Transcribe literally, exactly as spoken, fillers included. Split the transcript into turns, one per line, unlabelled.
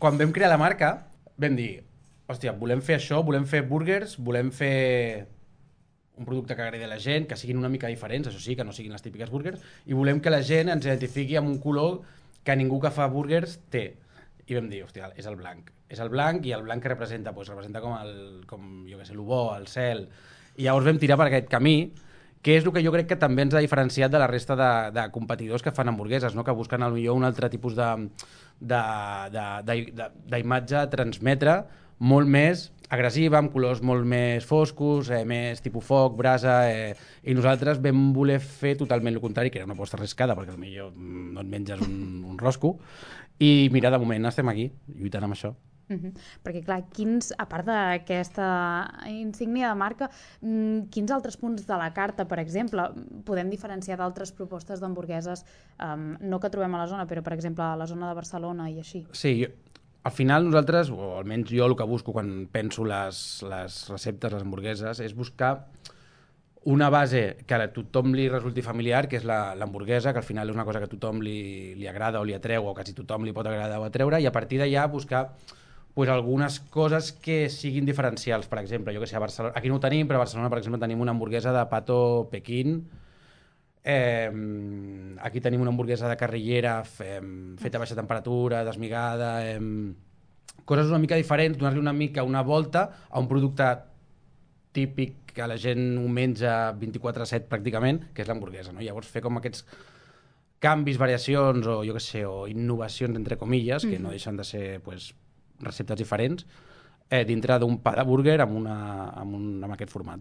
quan vam crear la marca, vam dir, hòstia, volem fer això, volem fer burgers, volem fer un producte que agradi a la gent, que siguin una mica diferents, això sí, que no siguin les típiques burgers, i volem que la gent ens identifiqui amb un color que ningú que fa burgers té. I vam dir, hòstia, és el blanc. És el blanc, i el blanc que representa, doncs representa com, el, com jo què sé, el bo, el cel. I llavors vam tirar per aquest camí, que és el que jo crec que també ens ha diferenciat de la resta de, de competidors que fan hamburgueses, no? Que busquen al millor un altre tipus de d'imatge a transmetre molt més agressiva, amb colors molt més foscos, eh, més tipus foc, brasa, eh, i nosaltres vam voler fer totalment el contrari, que era una aposta arriscada, perquè potser no et menges un, un rosco, i mira, de moment estem aquí, lluitant amb això.
Uh -huh. Perquè clar, quins, a part d'aquesta insígnia de marca, quins altres punts de la carta, per exemple, podem diferenciar d'altres propostes d'hamburgueses, um, no que trobem a la zona, però per exemple a la zona de Barcelona i així?
Sí, jo, al final nosaltres, o almenys jo el que busco quan penso les, les receptes, les hamburgueses, és buscar una base que a tothom li resulti familiar, que és l'hamburguesa, que al final és una cosa que a tothom li, li agrada o li atreu, o quasi tothom li pot agradar o atreure, i a partir d'allà buscar pues, algunes coses que siguin diferencials. Per exemple, jo que sé, a Barcelona, aquí no ho tenim, però a Barcelona, per exemple, tenim una hamburguesa de pato Pequín, eh, aquí tenim una hamburguesa de carrillera fe, feta a baixa temperatura, desmigada, eh, coses una mica diferents, donar-li una mica una volta a un producte típic que la gent ho menja vint-i-quatre set pràcticament, que és l'hamburguesa, no? Llavors fer com aquests canvis, variacions o jo què sé, o innovacions entre comilles, que no deixen de ser pues, receptes diferents, eh, dintre d'un pa de búrguer amb, una, amb, un, amb aquest format.